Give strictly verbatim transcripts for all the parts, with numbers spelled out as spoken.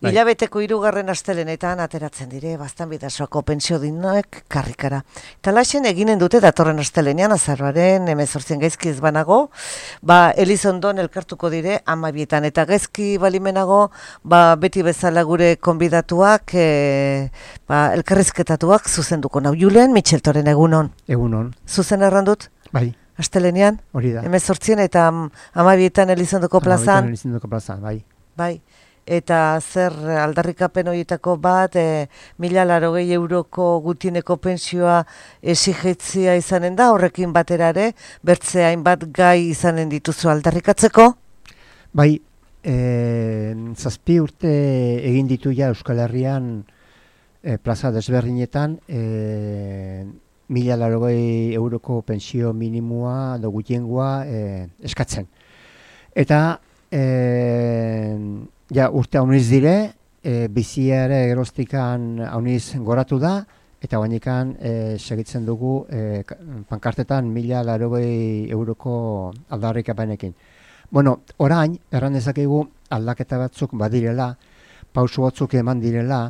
Hilabeteko hirugarren astelenetan ateratzen dire, bastan bidasoako pentsio dignoek karrikara. Talaxen eginen dute datorren astelenean, azaroaren hemezortzien gaizki ez banago, ba, Elizondon elkartuko dire amabietan, eta gaizki balimenago, ba, beti bezala gure konbidatuak, e, ba, elkarrizketatuak zuzenduko nau. Julen, Mitxeltoren egunon. Egunon. Zuzen errandut? Bai. Astelenean? Hori da. hemezortzien eta amabietan Elizondoko plazan? Amabietan Elizondoko plazan, bai. Bai. Eta zer aldarrikapen horietako bat, e, mila larogei euroko gutieneko pentsioa exigetzia izanen da, horrekin baterare, bertze hainbat gai izanen dituzu aldarrikatzeko? Bai, e, zazpi urte egin ditu ja Euskal Herrian e, plaza desberdinetan, e, mila larogei euroko pentsio minimua edo gutiengoa e, eskatzen. Eta e, ja, urte hauniz dire, e, bizia ere geroztikan hauniz goratu da, eta guanikan e, segitzen dugu e, pankartetan mila larogei euroko aldarrikapenekin. Bueno, orain, erran dezakegu aldaketa batzuk badirela, pausu batzuk eman direla,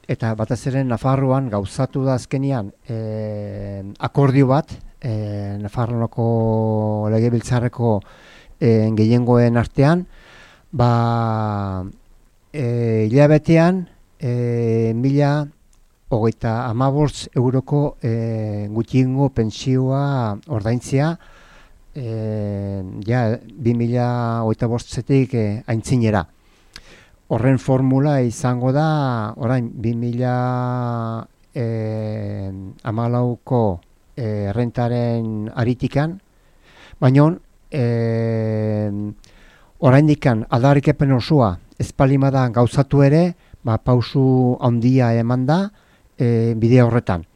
eta batez ere Nafarroan gauzatu da azkenian e, akordio bat, e, Nafarroako legebiltzarreko e, gehiengoen artean, ba, e, hilabetean e, mila hogeita hamabost euroko e, gutiengo pentsioa ordaintzea, e, ja, bi mila hogeita bostetik e, aintzinera. Horren formula izango da, orain, bi mila hamalauko e, rentaren aritikan, baina e, oraindikan aldarrikapen osoa ezpalimada gauzatu ere, ba, pausu handia eman da e, bide horretan.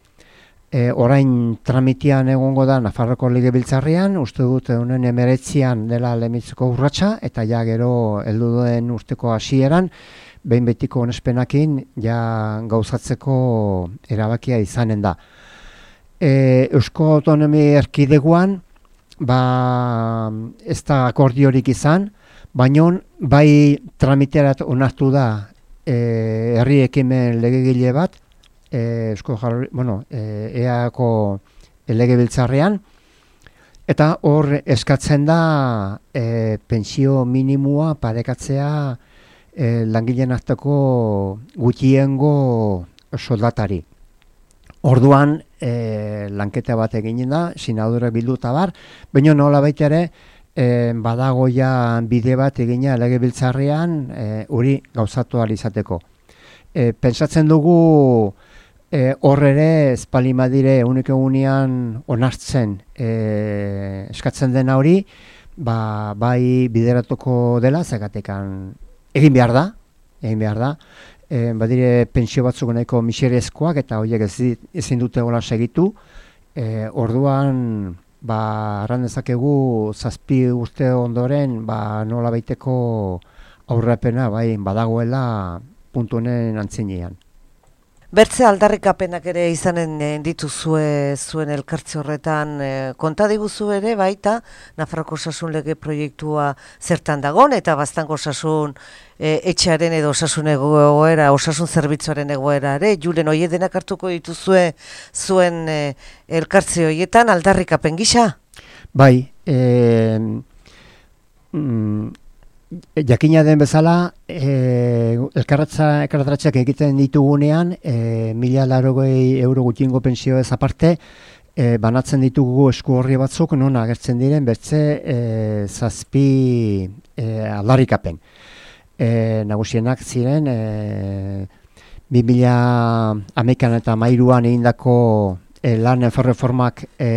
E, orain tramitian egongo da Nafarroko legebiltzarrean, uste dut honen emeretzian dela lehenbiziko urratsa, eta ja gero heldu duen urteko hasieran, behin betiko onespenakin ja gauzatzeko erabakia izanen da. E, Eusko Autonomia Erkidegoan, ba, ez da akordiorik izan, baina bai tramiterat onartu da e, herri ekimen legegile bat, e, Eusko Jarri, bueno, e, eako legebiltzarrean, eta hor eskatzen da e, pentsio minimua parekatzea e, langileen arteko gutxiengo soldatari. Orduan e, lanketa bat eginen da, sinadurak bilduta bar, baina nola baita ere, E, badago ja bide bat egina legebiltzarrean hori e, gauzatu ahal izateko. E, pentsatzen dugu e, hor ere espalimadire unik egunean onartzen e, eskatzen dena hori, ba, bai bideratuko dela, zagatekan egin behar da, egin behar da. E, badire pentsio batzuk nahiko miserezkoak eta horiek ez, ezin dute gola segitu. E, orduan, ba, arran dezakegu zazpi urte ondoren, ba, nola baiteko aurrapena, bai, badagoela puntu honen antzinean. Bertze aldarrikapenak ere izanen dituzue zuen elkartze horretan, e, konta diguzu ere baita Nafarroko osasun lege proiektua zertan dagon, eta Baztango osasun e, etxearen edo osasun egoera, osasun zerbitzuaren egoera ere, Julen, hori denak hartuko dituzue zuen e, elkartze horietan aldarrikapen gisa? Bai, e, mm, jakina den bezala, e, elkarratzeak egiten ditugunean, e, mila larogei euro gutxiengo pensio ez aparte, e, banatzen ditugu esku horri batzuk, non agertzen diren bertze e, zazpi e, aldarrikapen. E, nagusienak ziren, e, bi mila hamekan eta hamairuan egindako e, lan erreformak e,